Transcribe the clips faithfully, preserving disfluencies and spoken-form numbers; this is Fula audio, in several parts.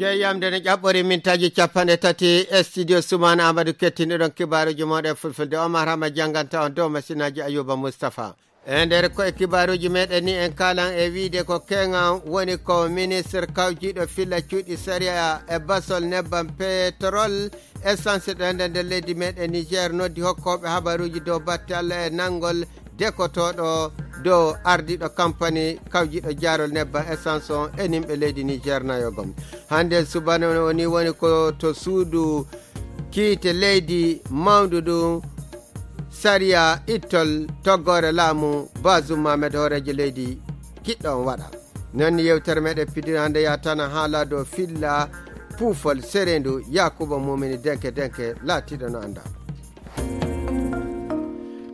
Jeeyamde no ƴaɓɓori mintaaji capanɗe tati e studio Sumaana Amadou, kettinɗo ɗon kibaaruuji mooɗon e fulfulde. Omar Hama jannganta on dow masinaaji Ayuba Mustafa. E nder koye kibaaruuji meɗen ni, en kaalan e wiide ko keŋan woni ko ministre kawjiiɗo filla cuuɗi sariya e basol nebbam petrol essence ɗo ender nder leydi meɗen Niger noddi hokkooɓe habaruuji dow batte Allah e nanngol dekotooɗo dow ardiiɗo kampani kawjiiɗo jaarol nebbam essence on e nimɓe leydi Niger nayo gom. Hannde subana o ni woni ko to suudu kiite leydi mawndu ndu sariya ittol toggoore laamu Bazum Mohamed hooreejo leydi kiɗɗo on waɗa. Non ni yewtere meɗen pidira hannde yatana haala dow filla puufol sereendu Yakuba Mumini Denke Denke laatiiɗo no annda.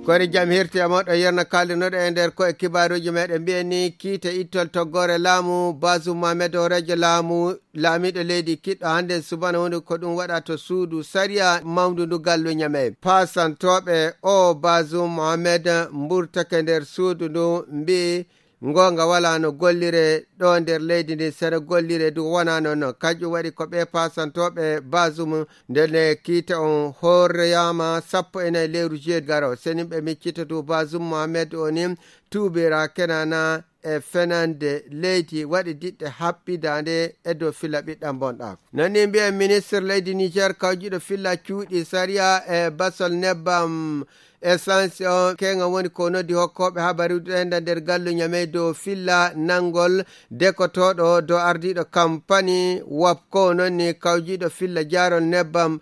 Kori jam hirti e moɗo yerna kalinoɗo e nder koye kibaaruuji meɗen mbiyen ni kiite ittol toggoore laamu Bazum Mohamed hooreejo laamu laamiiɗo leydi kiɗɗo hannde subana woni ko ɗum waɗa to suudu sariya mawndu ndu gallu Ñamey. Paasantooɓe o Bazum Mohamed mburtake nder suudu ndu mbi goonga wala no gollire ɗo nder leydi ndi sere gollire du wona noon noon. Kanƴum waɗi ko ɓe paasantooɓe Bazum nde ne kiite on hooreyama sappo e nayi lewru juillet garo. Senin ɓe miccita du Bazum Mohamed o ni tuubira kenana e fenande leydi waɗi diɗɗe haɓɓidaande e dow filla ɓiɗɗam bonɗaako. Non ni mbiyen ministre leydi Niger kawjiɗo filla cuuɗi sariya e basol nebbam essence on keŋa woni ko noddi hokkooɓe habaruuji ɗo enda nder gallu Ñamey dow filla nanngol dekotooɗo dow ardiiɗo kampani wapko non ni kawjiiɗo filla jaarol nebbam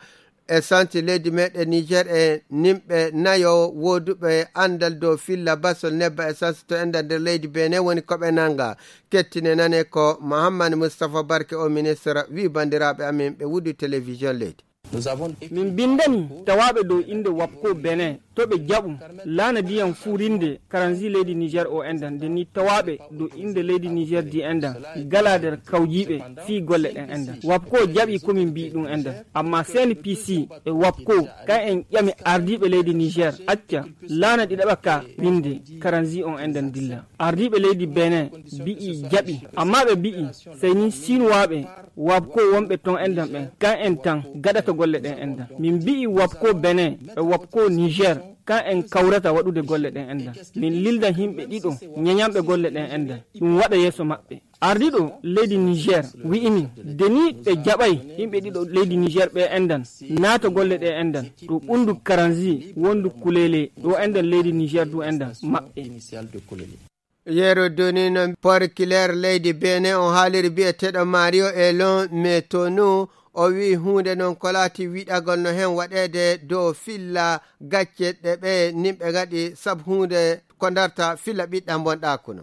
essence leydi meɗen Niger e nimɓe nayo wooduɓe anndal dow filla basol nebba essence to enda nder leydi Benin woni ko ɓe nannga. Kettine nane ko Mohammad Moustapha Barke o ministre wi banndiraaɓe amin ɓe wudu télévision leydi. Min mbinndani tawaaɓe dow innde wapko Benin to ɓe jaɓu laana ndiyam fuurinde karanzi leydi Niger o endan nde ni tawaaɓe dow innde leydi Niger di endan gala nder kawjiiɓe fii golle ɗen endan. Wapko jaɓi ko min mbii ɗum endan. Amma C N P C e wapko kan en ƴami ardiiɓe leydi Niger acca laana ɗi ɗaɓa ka winde karanzi on endan dilla. Ardiiɓe leydi Benin mbi'i jaɓi, amma ɓe mbi'i sey ni Sinuwaaɓe wapko wonɓe ton endan ɓen kan en tan gaɗata golle ɗen endan. Min mbi'i wapko Benin e wapko Niger kan en kawrata waɗude golle ɗen endan. Min lilda yimɓe ɗiɗo ñeñanɓe golle ɗen endan ɗum waɗa yeeso maɓɓe. Ardiiɗo leydi Niger wi'i min de ni ɓe jaɓay yimɓe ɗiɗo leydi Niger ɓe endan naata golle ɗe endan to ɓundu karanzi wondu kulele ɗo endan leydi Niger du endan maɓɓe. Yeru duni no porkileer leydi Benin on haaliri biyeteeɗo Mario Elon Metonu o wi'i huunde non ko laati wiɗagol no hen waɗeede dow filla gacce ɗe ɓe nimɓe ngaɗi sabu huunde ko darta filla ɓiɗɗam bonɗaaku no.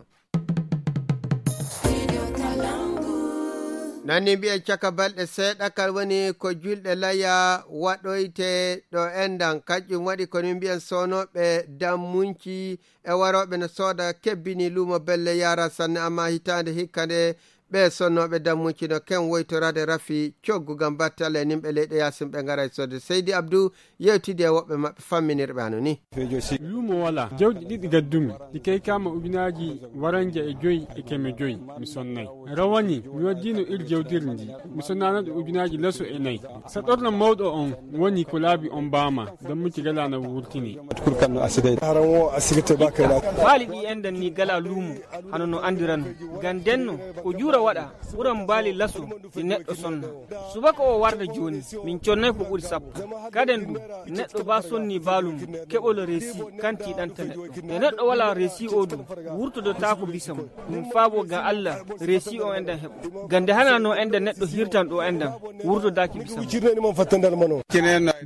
Nanni mbiyen caka balɗe seeɗa kal woni ko julɗe laya waɗoyte ɗo endan kanƴum waɗi ko min mbiyen soonooɓe dammunci e warooɓe no sooda kebbini luumo belle yaara sanne amma hitaande hikka nde ɓe sonnooɓe dammunci no ken woytoraade rafi coggu ngam battale e nimɓe leyɗe yaasin ɓe ngaray sodde. Seydi Abdou yewtidi e woɓɓe maɓɓe famminirɓe hano ni. Luumo wala jawɗi ɗiɗi gaddumi ɗi kaykaama ujunaaji waranja e joyi e keme joyi mi sonnay. Rawani mi waddino ir jawdiri ndi mi sonnano ɗo ujunaaji laso e nayi. Saɗorno mawɗo on woni ko laabi on mbaama dammuci galano wurtini. Haran wo a sigirte ba kay la. Baali ɗi endan ni gala luumo hano no andiran. Ngam ndenno ko juura waɗa ɓuran mbaali laso ɗi neɗɗo sonna. Subaka o warda jooni min connay ko ɓuri sappo. Kaden du neɗɗo ba sonni baalum keɓolo reesi kanti ɗanta neɗɗo. Nde neɗɗo wala reesi o du wurtodotaako bisa mum. Ɗum faabo ngam Allah reesi o endan heɓo. Ngam nde hana no endan neɗɗo hirtan ɗo endan wurtodaaki bisa mum.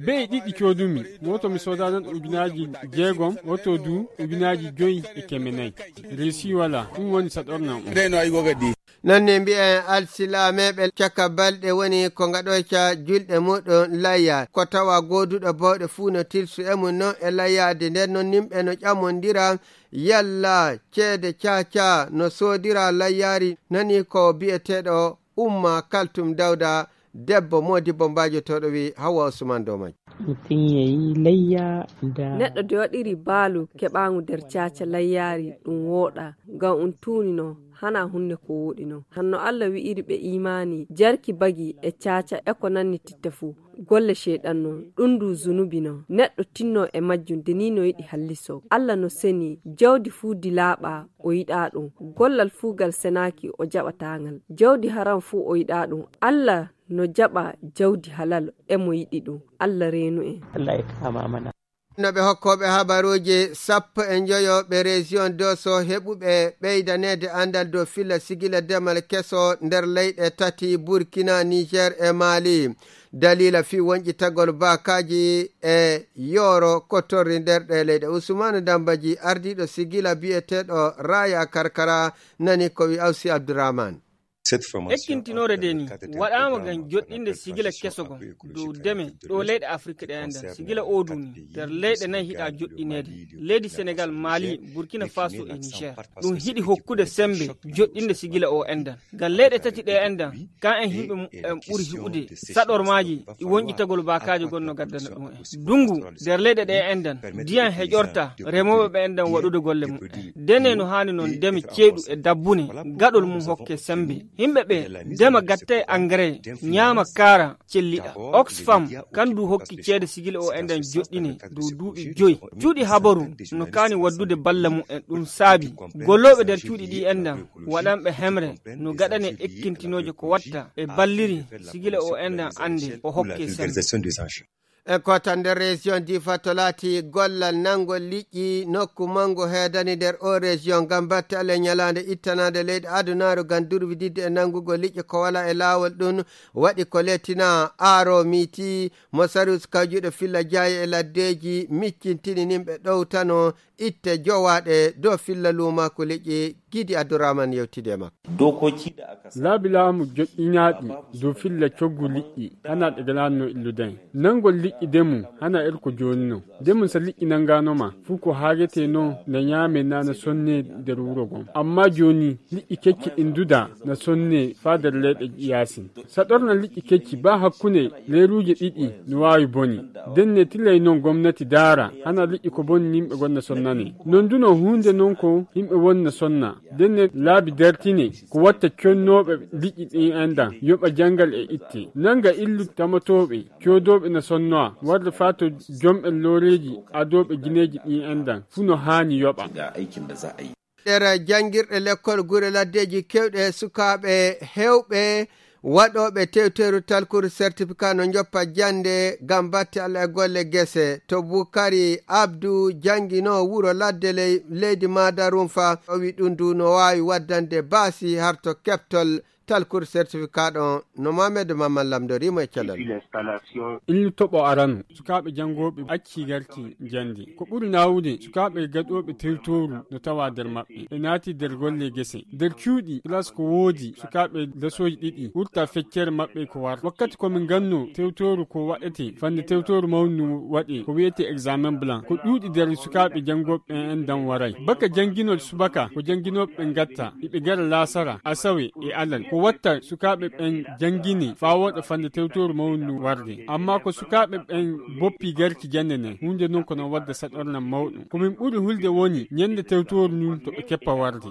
Bey ɗiɗi coodumi woto mi soodanan ujunaaji jeegom woto du ujunaaji joyi e keme nayi. Reesi wala ɗum woni saɗornam on. Nanne mbiyen alsilameɓe caka balɗe woni ko ngaɗoyta julɗe muɗum layya ko tawa goduɗo bawɗe fuu no tilsu e mum non e layyade nden non nimɓe no ƴamondira yalla ceede caca no soodira layyari nani ko biyeteɗo umma kaltum dawda. Debbo Moodibbo Mbaajotooɗo wi Hawwa Usman dow majjum. Mutum ya yi layya da neɗɗo de waɗiri baalu keɓaangu nder caaca layyaari, ɗum wooɗa, ngam um tuuni non, hana hunde ko wooɗi non. Hanno Allah wi'iri ɓe iimaani, jarki bagi e caaca e ko nanni titta fuu, golle Ceyɗan non, ɗum ndu zunubi non. Neɗɗo tinno e majjum, de ni no yiɗi halliso. Allah no seni, jawdi fuu di laaɓa, o yiɗaa ɗum. Gollal fuu gal senaaki, o jaɓataa ngal. Jawdi haram fuu, o yiɗaa ɗum. Allah no jaɓa jawdi halal, e mo yiɗi ɗum. Allah reenu en. No ɓe hokkooɓe habaruuji sappo e njoyo ɓe région Doso heɓuɓe ɓeydaneede anndal dow filla sigila demal keso nder leyɗe tati, Burkina, Niger e Mali. Dalila fii wonƴitagol baakaaji e yooro ko torri nder ɗe leyɗe. Usmanu Dambaji, ardiiɗo sigila biyeteeɗo Raya Karkara, nani ko wi Awsi Abdurrahman. Ekkintinoore nde ni waɗaama ngam joɗɗinde sigila keso gon dow deme ɗo leyɗe Afirka ɗe enɗan. Sigila o duni nder leyɗe nayi hiɗa joɗɗineede. Leydi Senegal, Mali, Burkina Faso e Niger. Ɗum hiɗi hokkude sembe joɗɗinde sigila o enɗan. Ngam leyɗe tati ɗe enɗan, ka en yimɓe mu-, en ɓuri hiɓude saɗormaaji ɗi wonƴitagol baakaaji gonno gaddana ɗum en. Dungu nder leyɗe ɗe enɗan, ndiyan heƴorta remooɓe ɓe enɗan waɗude golle muɓɓen. Dene no haani non deme ceeɗu e dabbune, gaɗol mum hokke sembe. Yimɓe ɓe ndema gatta e engrais, ñaama kaara, celliɗa. Oxfam, kan du hokki ceede sigila o enɗan joɗɗine dow duuɓi joyi. Cuuɗi habaru no kaani waddude balla mu'en, ɗum saabi gollooɓe nder cuuɗi ɗi enɗan, waɗanɓe hemre no gaɗane ekkintinooje ko watta e balliri sigila o enɗan annde o hokke sembe. En kootan nder région Difa to laati gollal nangol liƴƴi nokku mangu heedani nder o région ngam batte ale ñalaande ittanaande leyɗe adunaaru ngam durwididde e nangugol liƴƴi ko wala e laawol ɗum waɗi ko letina aaro miti mo sarus kawjuɗo filla jaayi e laddeeji miccintini nimɓe ɗowtano itte jowaɗe dow filla luumaku liƴƴi Gidi Abdurrahman yewtide e makko. Laabi laamu joƴƴinaaɗi dow filla coggu liƴƴi, hana ɗe galaano illude. Nangol liƴƴi demu, hana er ko jooni non. Demu sa liƴƴi nangaano ma, fuu ko haagetee non na ñaame na na sonne nder wuro gon. Amma jooni, liƴƴi kecci ɗin duda na sonne faa nder leyɗe yaasin. Saɗorna liƴƴi kecci baa hakkunde leeruuje ɗiɗi no waawi boni. Denne tilay non gomnati daara, hana liƴƴi ko boni yimɓe gonna sonnane. Non du no huunde non ko yimɓe wonna sonna. Denne laabi dartine ko watta connooɓe liƴƴi ɗin enɗan, yoɓa janngal e itte. Nanga illu tamatooɓe, coodooɓe na sonnoa, warde faa to jomɓe looreeji adooɓe gineeji ɗin enɗan, fuu no haani yoɓa. Nder janngirɗe lekkol gure laddeeji keewɗe sukaaɓe heewɓe waɗooɓe tewteeru talkuru certificat no njoppa jannde ngam batte Allah e golle gese. To Bukari Abdu janngino wuro ladde ley-, leydi Madarunfa, o wi ɗum du no waawi waddande baasi harto keɓtol talkuru certificat ɗon no Mohamed Mamman lamndoriimo e cellal. Illu toɓo arano, sukaaɓe janngooɓe accii garki jannde. Ko ɓuri naawude, sukaaɓe gaɗooɓe tewtooru no tawa nder maɓɓe. Ɓe naati nder golle gese. Nder cuuɗi, classe ko woodi, sukaaɓe lesooji ɗiɗi, wurta feccere maɓɓe ko war. Wakkati ko min ganno tewtooru ko waɗete, fande tewtooru mawndu waɗe, ko wi'ete examen blanc. Ko ɗuuɗi nder sukaaɓe janngooɓe en dan waray. Baka jannginol subaka, ko jannginooɓe ɓe ngatta, iɓe gara laasara, asawe e alal. Ko watta sukaaɓe ɓen janngini faa wooɗa fande tewtooru mawndu warde. Amma ko sukaaɓe ɓen boppi garki jannde nden, huunde non ko non wadda saɗornan mawɗum. Ko min ɓuri hulde woni ñande tewtooru ndun to ɓe keppa warde.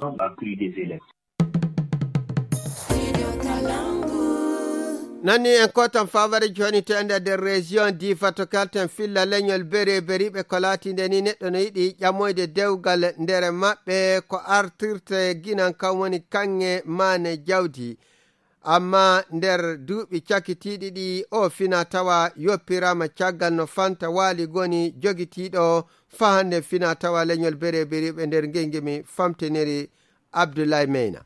Nanni en kotan faabare joni to ender nder région Difa to kalten filla leñol bere beriɓe ko laatinde ni neɗɗo no yiɗi ƴamoyde dewgal nder maɓɓe ko artirte ginan kan woni kaŋŋe maane jawdi. Amma nder duuɓi cakitiiɗi ɗi o fina tawa yoppirama caggal no fanta waali goni jogitiiɗo faa hande fina tawa leñol bere beriɓe nder ngengimi famtiniri Abdoulaye Meyna.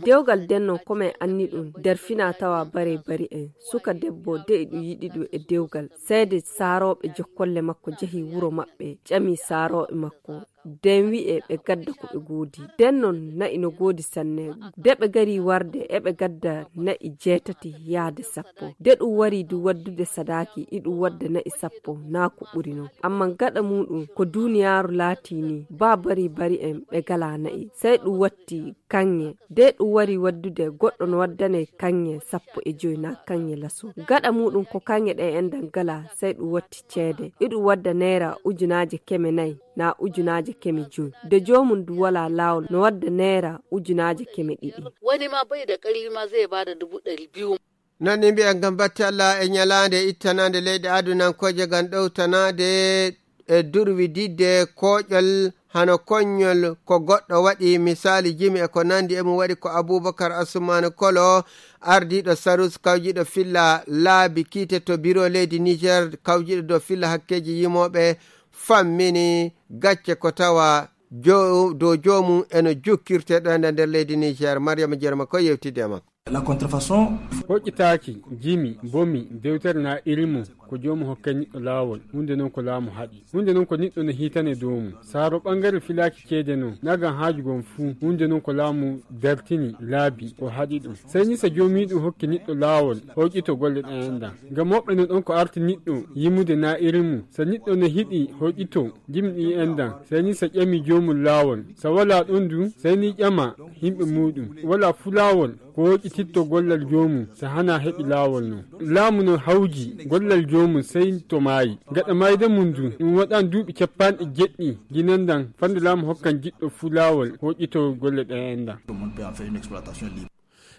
Dewgal denno ko men anni ɗum nder fina tawa bare bari en. Suka debbo de'i ɗum yiɗi ɗum e dewgal. Seede saarooɓe jokkolle makko jahi wuro maɓɓe, ƴami saarooɓe makko. Den wi'e ɓe gadda ko ɓe goodi. Den non na'i no goodi sanne. De ɓe gari warde eɓe gadda na'i jeetati yaade sappo. De ɗum wari du waddude sadaaki, iɗum wadda na'i sappo, naa ko ɓuri non. Amma gaɗa muuɗum ko duuniyaaru laatii ni, baa bari bari en ɓe galaa na'i. Sey ɗum watti kaŋŋe. De ɗum wari waddude goɗɗo no waddanee kaŋŋe sappo e joy naa kaŋŋe laso. Gaɗa muuɗum ko kaŋŋe ɗe enɗan galaa, sey ɗum watti ceede. Iɗum wadda neera ujunaaje keme nayi. Naa ujunaaje keme joy. De joomum du walaa laawol no wadda neera ujunaaje keme ɗiɗi. Wani ma bai da ƙarfi ma zai ba da dubu ɗari biyu. Non ni mbiyen ngam batte Allah e ñalaande ittanaande leyɗe adunankooje ngam ɗowtanaade e durwididde kooƴol hano koññol ko goɗɗo waɗi misaali jimi e ko nandi e mum waɗi ko Abubakar Asumaani Kolo, ardiiɗo Sarus kawjiiɗo filla laabi kiite to biro leydi Niger kawjiiɗo dow filla hakkeeji yimooɓe, fammini gacce ko tawa jo-, dow joomum eno jukkirte ɗo e nder leydi Niger. Mariama Jerema ko yewtidde e makko. La contrefaçon. Hoƴƴitaaki, jimi, bomi, dewtere na iri mum, ko joomum hokkay niɗɗo laawol, huunde non ko laamu haɗi. Huunde non ko niɗɗo no hiitane dow mum. Saaro ɓangare filaaki ceede non, nagan haaju gon fuu, huunde non ko laamu dartini laabi, o haɗi ɗum. Sey ni so joomiiɗum hokki niɗɗo laawol, hoƴƴito golle ɗen enɗan. Ngam woɓɓe no ɗon ko arti niɗɗo yimude na iri mum. So niɗɗo no hiɗi hoƴƴito jimi ɗi enɗan, sey ni so ƴami joomum laawol. So walaa ɗon du, sey ni ƴama yimɓe muuɗum. Walaa fuu laawol ko woƴƴititto gollal joomum, so hanaa heɓi laawol non. Laamu no hawji gollal joomum sey to maayi. Gaɗa maayde mum du, ɗum waɗan duuɓi cappanɗe jeɗɗi, ginan ɗan, fande laamu hokkan jiɗɗo fuu laawol woƴƴitoo golle ɗen enɗan.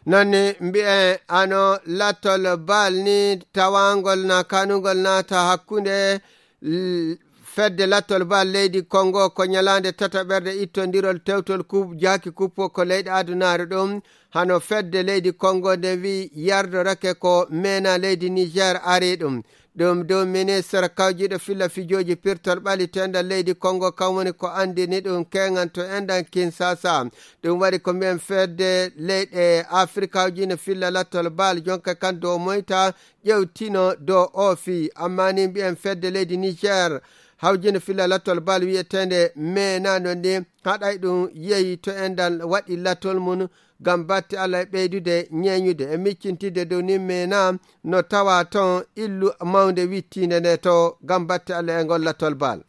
Non ni mbi'en ano lattol bal ni tawangol na kanungol naata hakkunde l-, fedde lattol bal leydi Kongo ko ñalaande tataɓerde ittondirol tewtol kub-, jaaki kuppo ko leyɗe adunaare ɗum. Hano fedde leydi Kongo nde wi yardorake ko meena leydi Niger ari ɗum. Ɗum dow ministre kawjiiɗo filla fijooji pirtol ɓaliteendal leydi Kongo kan woni ko anndini ɗum keŋan to enɗan Kinshasa. Ɗum waɗi ko mbiyen fedde leyɗe Afirikawji no filla lattol bal jonka kan dow moyta ƴewtino dow o fii. Amma ni mbiyen fedde leydi Niger hawjino filla lattol bal wiyeteende meena no ni haɗay ɗum yehi to enɗan waɗi lattol mum ngam batte Allah e ɓeydude ñeeñude e miccintidde dow ni meena no tawa ton illu mawnde wittiinde nde to ngam batte Allah e ngol lattol bal.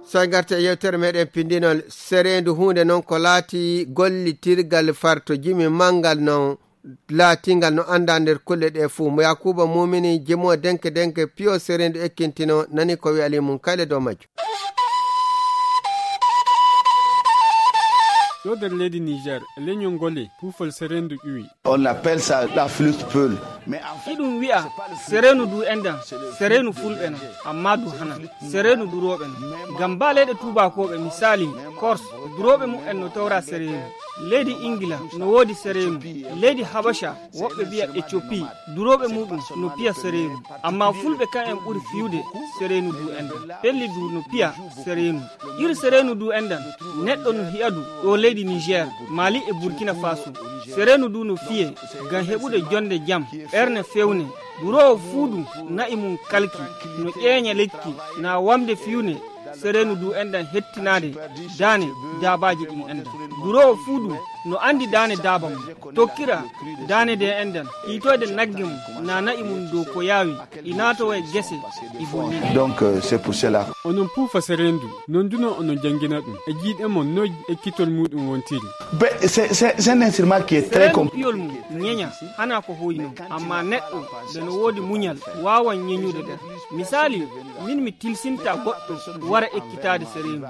So en ngartii e yewtere meɗen pindinol, sereendu huunde non ko laati gollitirgal farto jimi manngal non laatingal no anndaa nder kulle ɗe fuu. Mo Yakuba Mumini, jimo denke denke, piyo sereendu ekkintino, nani ko wi ali mum kayle dow majjum. Ɗo nder leydi Niger, leñol ngole, puufol sereendu ƴuwi. On appelle ça la flûte peul. Mais en fait, iɗum wi'a sereenu du enɗan, sereenu fulɓe non, amma du hana, sereenu durooɓe non. Ngam ba leyɗe tuubakooɓe, misali, Corse, durooɓe mum en no tawra sereenu. Leydi Ingila no woodi sereenu. Leydi Habasha, woɓɓe mbi'a Ethiopie, durooɓe muɗum no piya sereenu. Amma fulɓe kan en ɓuri fiyude sereenu du enɗan. Pelli du no piya sereenu. Iri sereenu du enɗan, neɗɗo no hi'a du ɗo leydi Niger, Mali e Burkina Faso. Sereenu du no fiye ngam heɓude jonde jam, ɓerne fewne. Duroowo fuu du na'i mum kalki, no ƴeeña lekki, na wamde fiyune. Sereenu du enɗan hettinaade daane daabaaji ɗin enɗan. Duroowo fuu du no anndi daane daaba mum, tokkira daane de enɗan, hiitoyde nagge mum, na na'i mum dow ko yaawi. I naatowa e gese, i bonnina. Donc, euh, c'est pour cela. Onon puufa sereendu, non du non onon janngina ɗum. E jiiɗe mon, noy ekkitol muɗum wontiri? Be-, c'est, c'est, c'est un instrument qui est très compl- piyol mum ñeña, hana ko hoyi non. Amma neɗɗo, nde no woodi muñal, waawan ñeñude ɗen. Misali, min mi tilsinta goɗɗo wara ekkitaade sereendu.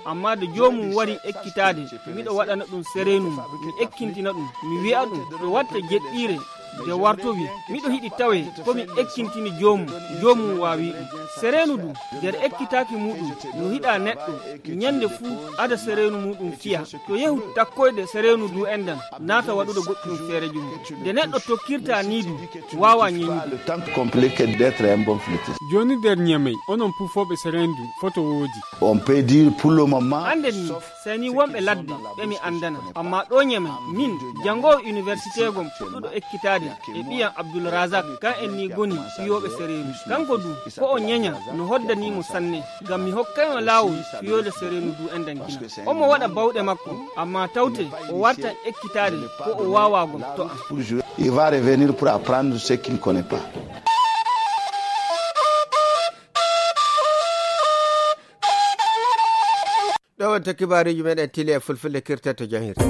Amma de joomum wari ekkitaade, miɗo waɗana ɗum sereendu mum, mi ekkintina ɗum, mi wi'a ɗum, to watta jeɗɗiire, de wartowi, miɗo hiɗi tawe ko mi ekkintini joomum, joomum waawi ɗum. Sereenu du, nder ekkitaaki muɗum, no hiɗa neɗɗo, ñande fuu ada sereenu muɗum fiya. To yehu takkoyde sereenu du enɗan, naata waɗude goɗɗum feereeji mum. Nde neɗɗo tokkirta nii du, waawa ñeñude. Le temps compliqué d'être un bon flûtiste. Jooni nder Ñamey, onon puufooɓe sereendu, foto woodi. On peut dire pour le moment. Annden ni, sey ni wonɓe ladde ɓe mi anndana. Amma ɗo Ñamey, min, janngoowo université gom puɗɗuɗo ekkitaade E ɓiyam Abdul Razak, kan en ni goni fiyooɓe sereenu. Kanko du, ko o ñeña no hoddanii mo sanne, ngam mi hokkay mo laawol fiyooɓe sereenu du en dangina. Omo waɗa bawɗe makko, amma tawte o wartan ekkitaade ko o waawaa gom to am. Il va revenir pour apprendre ce qu'il ne connaît pas. Ɗo wonta kibaaruuji meɗen tili e fulfulde kirta to janhirde.